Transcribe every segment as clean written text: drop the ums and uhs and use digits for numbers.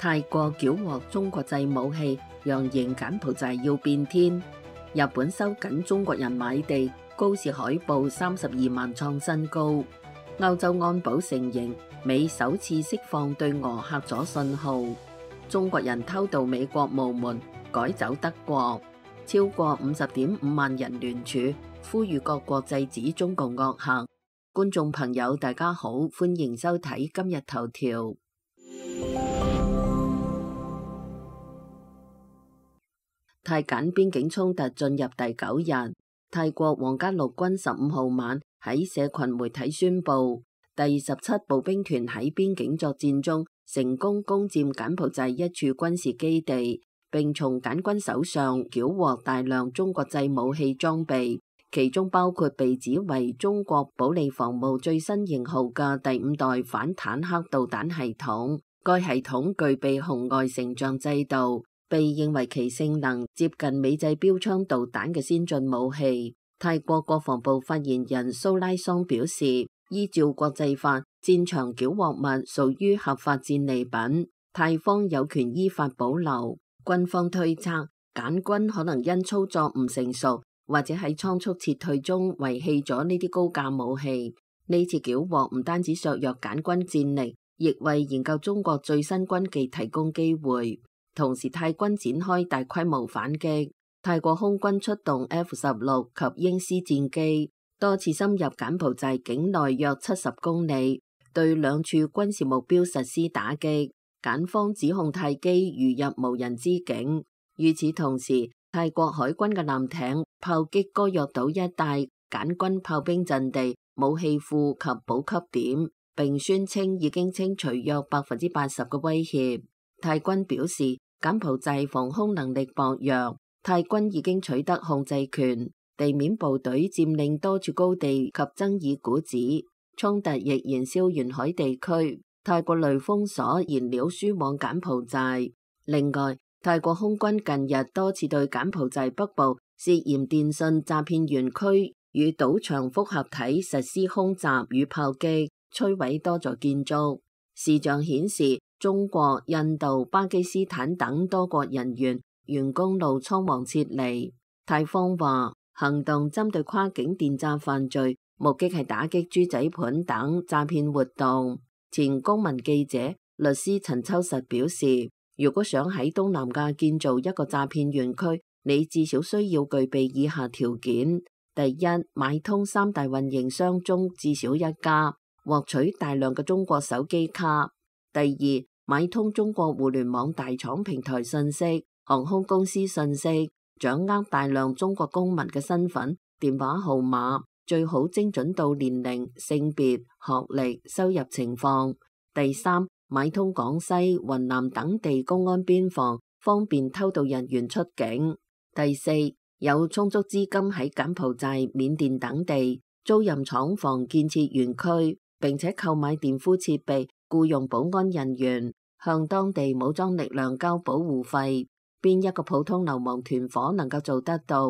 泰國繳獲中國製武器，揚言柬埔寨要變天。日本收緊中國人買地，高市海報32萬創新高。歐洲安保承認美首次釋放對俄嚇阻信號。中國人偷渡美國無門，改走德國。超過50.5萬人聯署，呼籲各國制止中共惡行。觀眾朋友大家好，歡迎收睇今日頭條。泰柬邊境衝突進入第9日，泰國皇家陸軍15號晚喺社群媒體宣布，第17步兵團喺邊境作戰中成功攻佔柬埔寨一處軍事基地，並從柬軍手上繳獲大量中國製武器裝備，其中包括被指為中國保利防務最新型號嘅第5代反坦克導彈系統。該系統具備紅外成像制導，被認為其性能接近美製標槍導彈嘅先進武器。泰國國防部發言人蘇拉桑表示，依照國際法，戰場繳獲物屬於合法戰利品，泰方有權依法保留。軍方推測，柬軍可能因操作唔成熟，或者喺倉促撤退中遺棄咗呢啲高價武器。呢次繳獲唔單止削弱柬軍戰力，亦為研究中國最新軍技提供機會。同時，泰軍展開大規模反擊，泰國空軍出動 F-16及鷹獅戰機，多次深入柬埔寨境內約70公里，對兩處軍事目標實施打擊。柬方指控泰機如入無人之境。與此同時，泰國海軍嘅艦艇炮擊哥約島一帶柬軍炮兵陣地、武器庫及補給點，並宣稱已經清除約80%嘅威脅。泰軍表示，柬埔寨防空能力薄弱，泰軍已經取得控制權，地面部隊佔領多處高地及爭議股指，衝突亦燃燒沿海地區。泰國雷封鎖燃料輸往柬埔寨。另外，泰國空軍近日多次對柬埔寨北部涉嫌電信詐騙園區與賭場複合體實施空襲與炮擊，摧毀多座建築。視像顯示，中國、印度、巴基斯坦等多國人員沿公路倉皇撤離。泰方話，行動針對跨境電詐犯罪，目的係打擊豬仔盤等詐騙活動。前公民記者、律師陳秋實表示，如果想喺東南亞建造一個詐騙園區，你至少需要具備以下條件：第一，買通3大運營商中至少一家，獲取大量嘅中國手機卡；第二，買通中國互聯網大廠平台信息、航空公司信息，掌握大量中國公民嘅身份、電話號碼，最好精準到年齡、性別、學歷、收入情況。第三，買通廣西、雲南等地公安邊防，方便偷渡人員出境。第四，有充足資金喺柬埔寨、緬甸等地租賃廠房建設園區，並且購買電呼設備，僱用保安人員，向當地武裝力量交保護費。邊一個普通流氓團伙能夠做得到？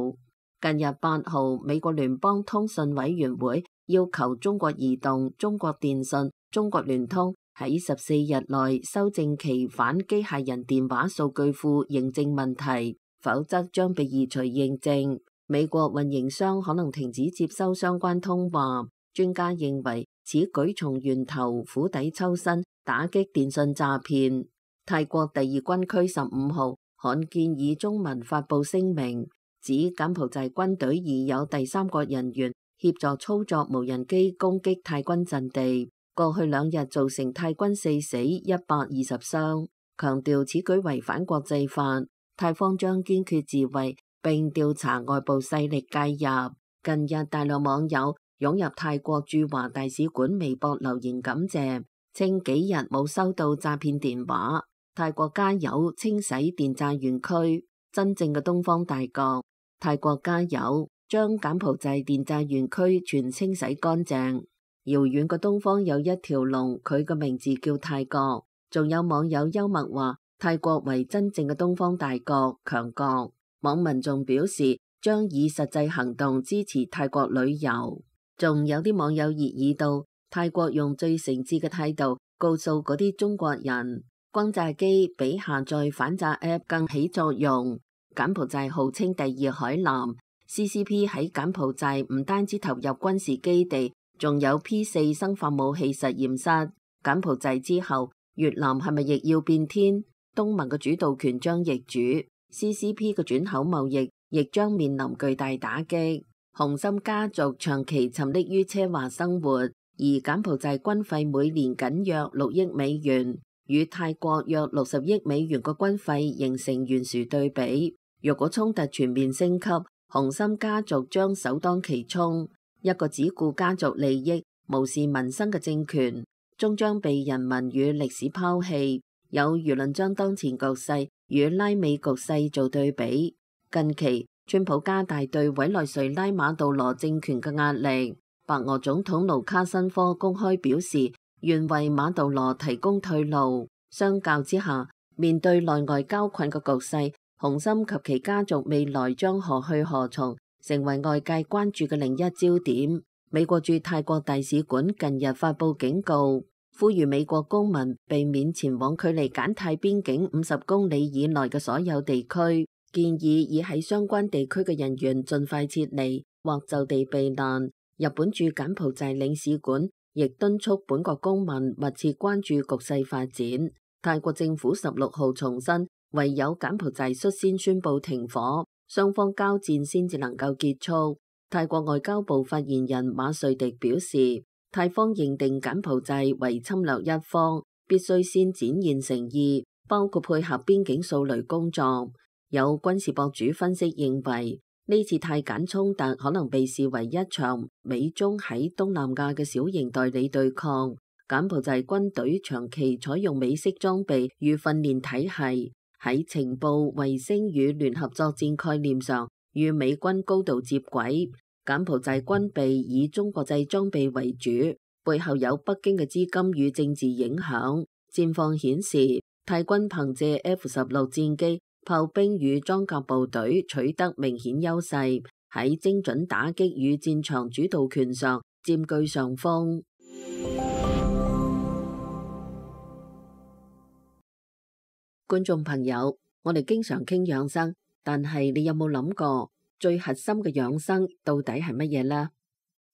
近日8號，美國聯邦通訊委員會要求中國移動、中國電信、中國聯通喺14日內修正其反機械人電話數據庫認證問題，否則將被移除認證。美國運營商可能停止接收相關通話。專家認為，此舉從源頭釜底抽薪，打擊電信詐騙。泰國第2軍區15號罕見以中文發布聲明，指柬埔寨軍隊已有第三國人員協助操作無人機攻擊泰軍陣地，過去2日造成泰軍4死120傷，強調此舉違反國際法，泰方將堅決自衛並調查外部勢力介入。近日大量網友湧入泰國駐華大使館微博留言感謝，稱幾日冇收到詐騙電話，泰國加油清洗電詐園區，真正嘅東方大國。泰國加油，將柬埔寨電詐園區全清洗乾淨。遙遠嘅東方有一條龍，佢嘅名字叫泰國。仲有網友幽默話，泰國為真正嘅東方大國強國。網民仲表示，將以實際行動支持泰國旅遊。仲有啲網友熱議到，泰國用最誠摯嘅態度告訴嗰啲中國人，轟炸機比下載反炸 App 更起作用。柬埔寨號稱第二海南 ，CCP 喺柬埔寨唔單止投入軍事基地，仲有 P4 生化武器實驗室。柬埔寨之後，越南係咪亦要變天？東盟嘅主導權將易主 ，CCP 嘅轉口貿易亦將面臨巨大打擊。洪森家族長期沉溺於奢華生活，而柬埔寨軍費每年僅約6億美元，與泰國約60億美元嘅軍費形成懸殊對比。若果衝突全面升級，洪森家族將首當其衝。一個只顧家族利益、無視民生嘅政權，終將被人民與歷史拋棄。有輿論將當前局勢與拉美局勢做對比。近期，川普加大對委內瑞拉馬杜羅政權嘅壓力。白俄總統盧卡申科公開表示，願為馬杜羅提供退路。相較之下，面對內外交困嘅局勢，洪森及其家族未來將何去何從，成為外界關注嘅另一焦點。美國駐泰國大使館近日發布警告，呼籲美國公民避免前往距離柬泰邊境50公里以內嘅所有地區，建議已喺相關地區嘅人員盡快撤離或就地避難。日本駐柬埔寨領事館亦敦促本國公民密切關注局勢發展。泰國政府16號重申，唯有柬埔寨率先宣布停火，雙方交戰先至能夠結束。泰國外交部發言人馬瑞迪表示，泰方認定柬埔寨為侵略一方，必須先展現誠意，包括配合邊境掃雷工作。有軍事博主分析認為，呢次泰柬衝突可能被視為一場美中喺東南亞嘅小型代理對抗。柬埔寨軍隊長期採用美式裝備與訓練體系，喺情報、衛星與聯合作戰概念上與美軍高度接軌。柬埔寨軍備以中國製裝備為主，背後有北京嘅資金與政治影響。戰況顯示，泰軍憑借 F-16 戰機、炮兵與裝甲部隊取得明顯優勢，喺精準打擊與戰場主導權上佔據上風。觀眾朋友，我哋經常傾養生，但係你有冇諗過最核心嘅養生到底係乜嘢呢？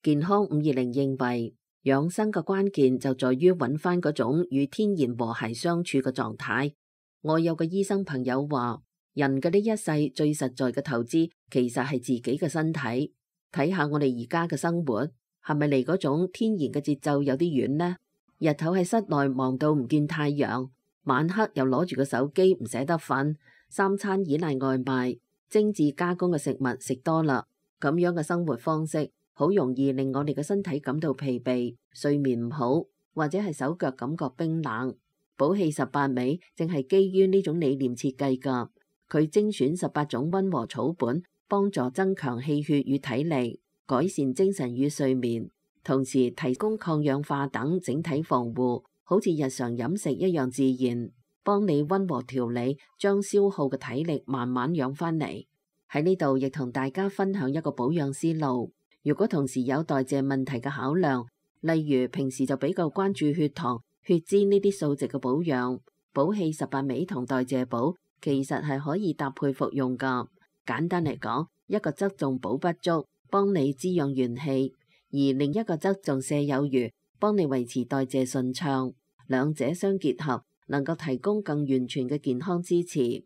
健康520認為，養生嘅關鍵就在於揾翻嗰種與天然和諧相處嘅狀態。我有個醫生朋友話，人嘅呢一世最實在嘅投資其實係自己嘅身體。睇下我哋而家嘅生活，係咪離嗰種天然嘅節奏有啲遠呢？日頭喺室內忙到唔見太陽，晚黑又攞住個手機唔捨得瞓，三餐依賴外賣，精緻加工嘅食物食多啦，咁樣嘅生活方式好容易令我哋嘅身體感到疲憊，睡眠唔好，或者係手腳感覺冰冷。補氣18味正係基於呢種理念設計㗎，佢精選18種溫和草本，幫助增強氣血與體力，改善精神與睡眠，同時提供抗氧化等整體防護，好似日常飲食一樣自然，幫你溫和調理，將消耗嘅體力慢慢養翻嚟。喺呢度亦同大家分享一個保養思路。如果同時有代謝問題嘅考量，例如平時就比較關注血糖、血脂呢啲數值嘅保養，補氣18味同代謝補其實係可以搭配服用㗎。簡單嚟講，一個側重補不足，幫你滋養元氣；而另一個側重瀉有餘，幫你維持代謝順暢。兩者相結合，能夠提供更完全嘅健康支持。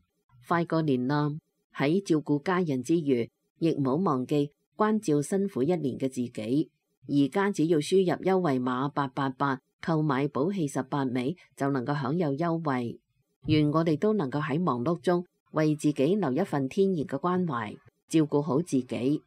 快過年啦，喺照顧家人之餘，亦唔好忘記關照辛苦一年嘅自己。而家只要輸入優惠碼888，購買補氣18味就能夠享有優惠。願我哋都能夠喺忙碌中為自己留一份天然嘅關懷，照顧好自己。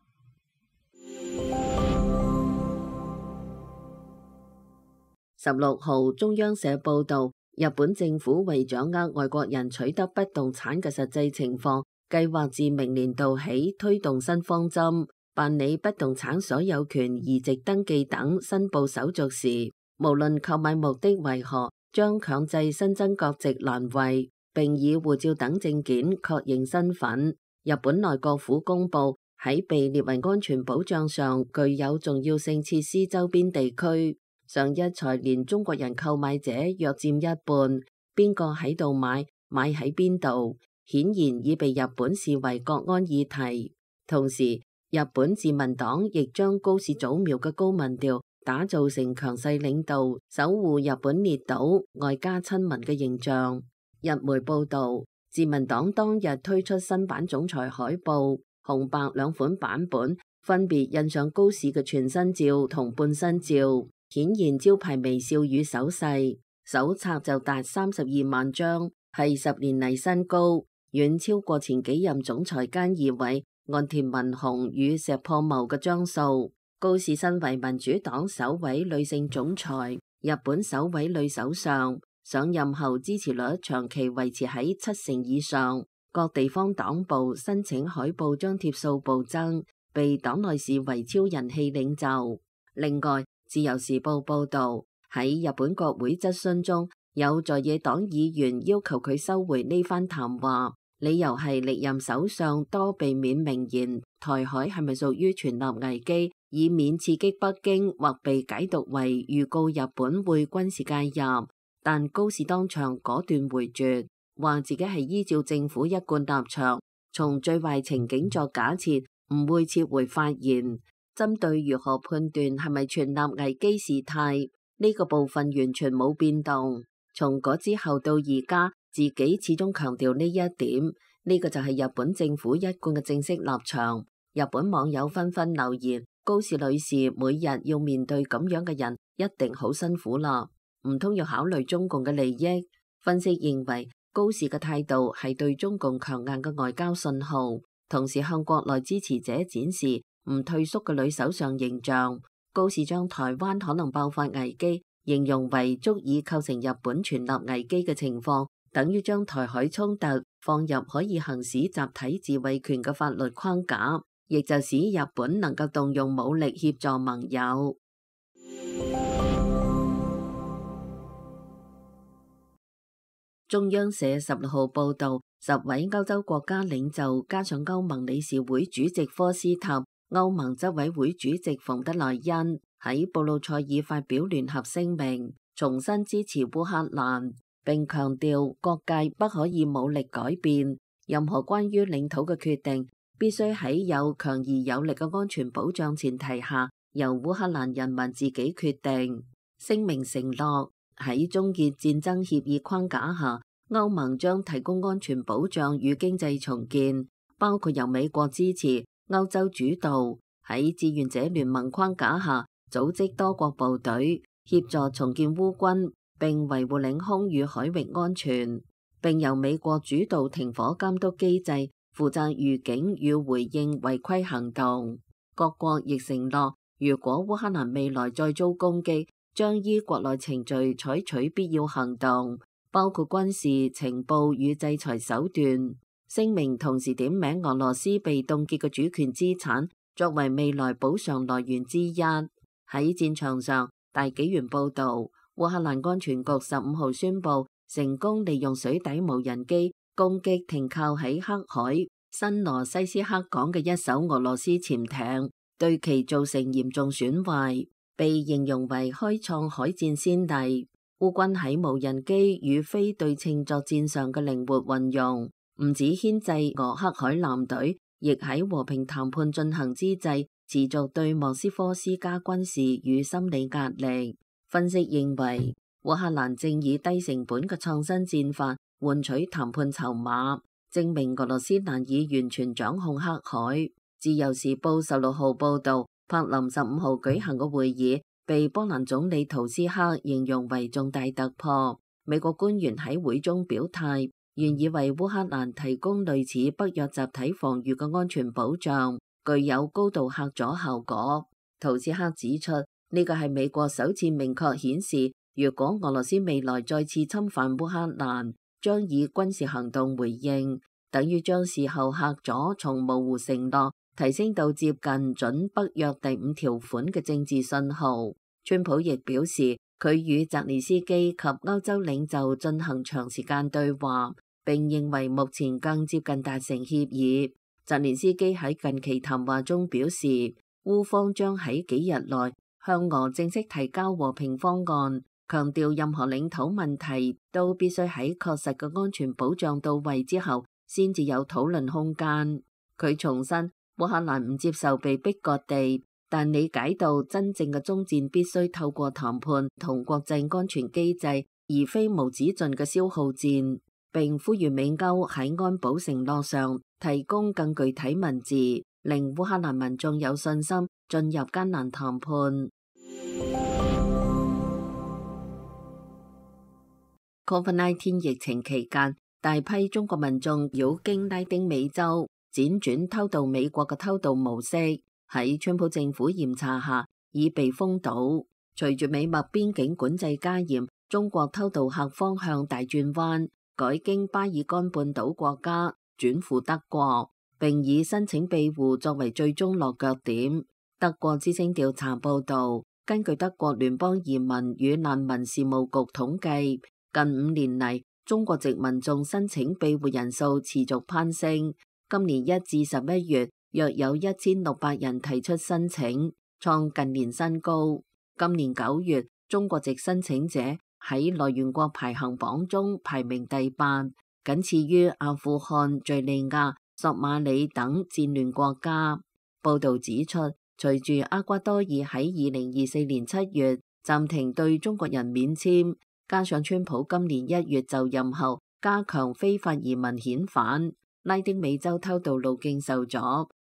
16號中央社報道，日本政府為掌握外國人取得不動產嘅實際情況，計劃自明年度起推動新方針，辦理不動產所有權移植登記等申報手續時，無論購買目的為何，將強制新增國籍欄位，並以護照等證件確認身份。日本內閣府公佈，喺被列為安全保障上具有重要性設施周邊地區，上一財年中國人購買者約佔1半，邊個喺度買喺邊度，顯然已被日本視為國安議題。同時，日本自民黨亦將高市早苗嘅高民調打造成強勢領導、守護日本列島、外加親民嘅形象。日媒報導，自民黨當日推出新版總裁海報，紅白兩款版本分別印上高市嘅全身照同半身照，顯現招牌微笑與手勢。手冊就達32萬張，係10年嚟新高，遠超過前幾任總裁菅義偉、岸田文雄與石破茂嘅張數。高市身為民主黨首位女性總裁、日本首位女首相，上任後支持率長期維持喺70%以上。各地方黨部申請海報張貼數暴增，被黨內視為超人氣領袖。另外，自由時報報導，喺日本國會質詢中，有在野黨議員要求佢收回呢番談話，理由係歷任首相多避免明言台海係咪屬於存立危機，以免刺激北京或被解讀為預告日本會軍事介入。但高市當場果斷回絕，話自己係依照政府一貫立場，從最壞情景作假設，唔會撤回發言。針對如何判斷係咪存立危機事態，呢個部分完全冇變動。從嗰之後到而家，自己始終強調呢一點，呢個就係日本政府一貫嘅正式立場。日本網友紛紛留言：高市女士每日要面對咁樣嘅人，一定好辛苦啦，唔通要考慮中共嘅利益？分析認為，高市嘅態度係對中共強硬嘅外交信號，同時向國內支持者展示唔退縮嘅女首相形象。高市將台灣可能爆發危機形容為足以構成日本存立危機嘅情況，等於將台海衝突放入可以行使集體自衛權嘅法律框架，亦就使日本能夠動用武力協助盟友。中央社16號報導，10位歐洲國家領袖加上歐盟理事會主席科斯塔、歐盟執委會主席馮德萊恩喺布魯塞爾發表聯合聲明，重新支持烏克蘭，並強調各界不可以武力改變任何關於領土嘅決定，必須喺有強而有力嘅安全保障前提下，由烏克蘭人民自己決定。聲明承諾喺終結戰爭協議框架下，歐盟將提供安全保障與經濟重建，包括由美國支持、歐洲主導，喺志願者聯盟框架下組織多國部隊，協助重建烏軍，並維護領空與海域安全，並由美國主導停火監督機制，負責預警與回應違規行動。各國亦承諾，如果烏克蘭未來再遭攻擊，將依國內程序採取必要行動，包括軍事、情報與制裁手段。聲明同時點名俄羅斯被凍結嘅主權資產作為未來補償來源之一。喺戰場上，大紀元報導，烏克蘭安全局15號宣布成功利用水底無人機攻擊停靠喺黑海新羅西斯克港嘅一艘俄羅斯潛艇，對其造成嚴重損壞，被形容為開創海戰先例。烏軍喺無人機與非對稱作戰上嘅靈活運用，唔止牽制俄黑海艦隊，亦喺和平談判進行之際，持續對莫斯科施加軍事與心理壓力。分析認為，烏克蘭正以低成本嘅創新戰法換取談判籌碼，證明俄羅斯難以完全掌控黑海。自由時報16號報導，柏林15號舉行嘅會議被波蘭總理圖斯克形容為重大突破。美國官員喺會中表態，願意為烏克蘭提供類似北約集體防禦嘅安全保障，具有高度嚇阻效果。圖斯克指出，呢個係美國首次明確顯示，如果俄羅斯未來再次侵犯烏克蘭，將以軍事行動回應，等於將事後嚇阻從模糊承諾提升到接近準北約第5條款嘅政治信號。川普亦表示，佢與澤連斯基及歐洲領袖進行長時間對話，並認為目前更接近達成協議。澤連斯基喺近期談話中表示，烏方將喺幾日內向俄正式提交和平方案，強調任何領土問題都必須喺確實嘅安全保障到位之後，先至有討論空間。佢重申，烏克蘭唔接受被逼割地，但理解到真正嘅終戰必須透過談判同國際安全機制，而非無止盡嘅消耗戰。並呼籲美歐喺安保承諾上提供更具體文字，令烏克蘭民眾有信心進入艱難談判。COVID-19 疫情期間，大批中國民眾繞經拉丁美洲，輾轉偷渡美國嘅偷渡模式，喺川普政府嚴查下已被封堵。隨住美墨邊境管制加嚴，中國偷渡客方向大轉彎，改經巴爾幹半島國家轉赴德國，並以申請庇護作為最終落腳點。德國之聲調查報導，根據德國聯邦移民與難民事務局統計，近5年嚟，中國籍民眾申請庇護人數持續攀升。今年1至11月，約有1600人提出申請，創近年新高。今年9月，中國籍申請者喺來源國排行榜中排名第8，僅次於阿富汗、敘利亞、索馬里等戰亂國家。報導指出，隨住厄瓜多爾喺2024年7月暫停對中國人免簽，加上川普今年1月就任後加強非法移民遣返，拉丁美洲偷渡路徑受阻，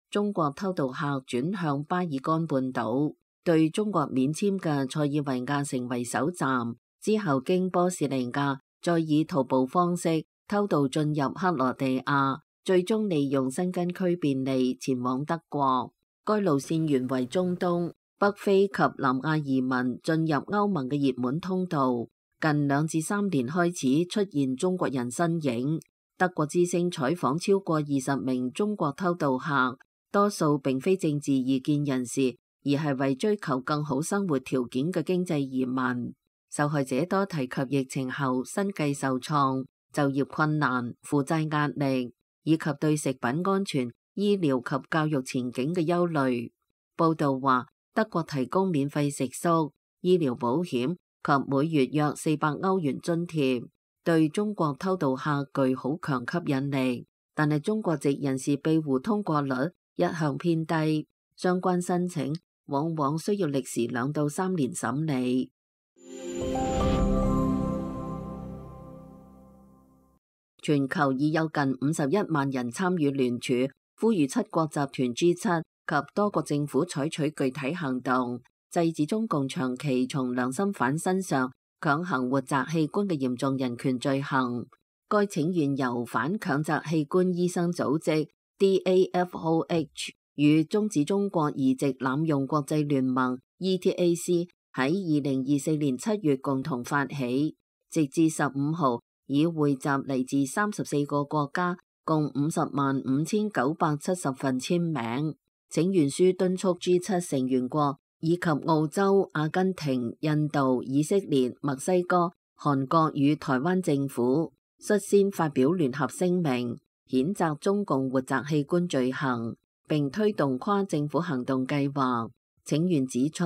中國偷渡客轉向巴爾幹半島，對中國免簽嘅塞爾維亞成為首站。之後經波士尼亞，再以徒步方式偷渡進入克羅地亞，最終利用申根區便利前往德國。該路線原為中東、北非及南亞移民進入歐盟嘅熱門通道，近2至3年開始出現中國人身影。德國之聲採訪超過20名中國偷渡客，多數並非政治異見人士，而係為追求更好生活條件嘅經濟移民。受害者多提及疫情後生計受創、就業困難、負債壓力，以及對食品安全、醫療及教育前景嘅憂慮。報導話，德國提供免費食宿、醫療保險及每月約400歐元津貼，對中國偷渡客具好強吸引力。但係中國籍人士庇護通過率一向偏低，相關申請往往需要歷時2到3年審理。全球已有近51萬人參與聯署，呼籲7國集團 G7 及多國政府採取具體行動，制止中共長期從良心犯身上強行活摘器官嘅嚴重人權罪行。該請願由反強摘器官醫生組織 DAFOH 與終止中國移植濫用國際聯盟 ETAC 喺2024年7月共同發起，直至15號已匯集嚟自34個國家共505,970份簽名。請願書敦促 G7 成員國以及澳洲、阿根廷、印度、以色列、墨西哥、韓國與台灣政府率先發表聯合聲明，譴責中共活摘器官罪行，並推動跨政府行動計劃。請願指出，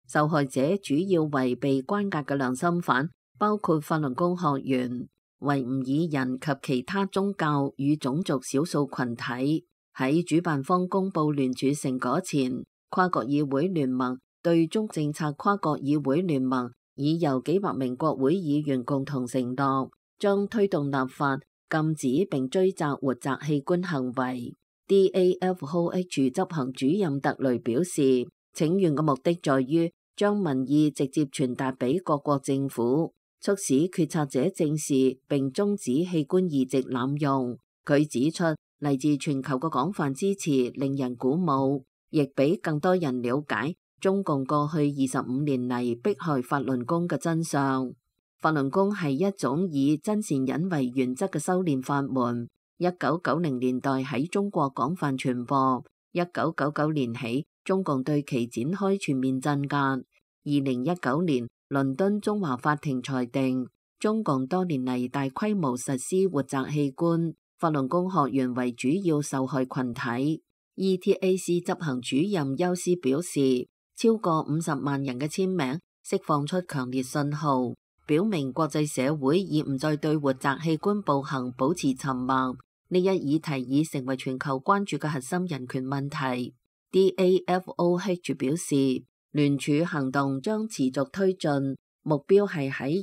受害者主要為被關押嘅良心犯，包括法輪功學員、維吾爾人及其他宗教與種族少數群體。喺主辦方公布聯署成果前，跨國議會聯盟對中政策跨國議會聯盟已由幾百名國會議員共同承諾，將推動立法禁止並追責活摘器官行為。DAFOH 執行主任特雷表示，請願嘅目的在於將民意直接傳達俾各國政府，促使決策者正視並終止器官移植濫用。佢指出，嚟自全球嘅廣泛支持令人鼓舞，亦俾更多人了解中共過去25年嚟迫害法輪功嘅真相。法輪功係一種以真善忍為原則嘅修煉法門。1990年代喺中國廣泛傳播，1999年起中共對其展開全面鎮壓。2019年，倫敦中華法庭裁定，中共多年嚟大規模實施活摘器官，法輪功學員為主要受害群體。ETAC 執行主任休斯表示，超過50萬人嘅簽名釋放出強烈信號，表明國際社會已唔再對活摘器官暴行保持沉默。呢一議題已成為全球關注嘅核心人權問題。DAFOH 表示，聯署行動將持續推進，目標係喺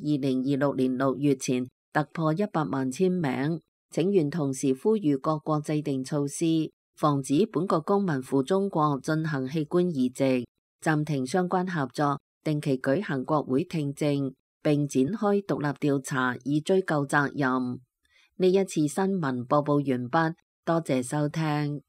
2026年6月前突破100萬簽名。請願同時呼籲各國制定措施，防止本國公民赴中國進行器官移植，暫停相關合作，定期舉行國會聽證，並展開獨立調查以追究責任。呢一次新聞播報完畢，多謝收聽。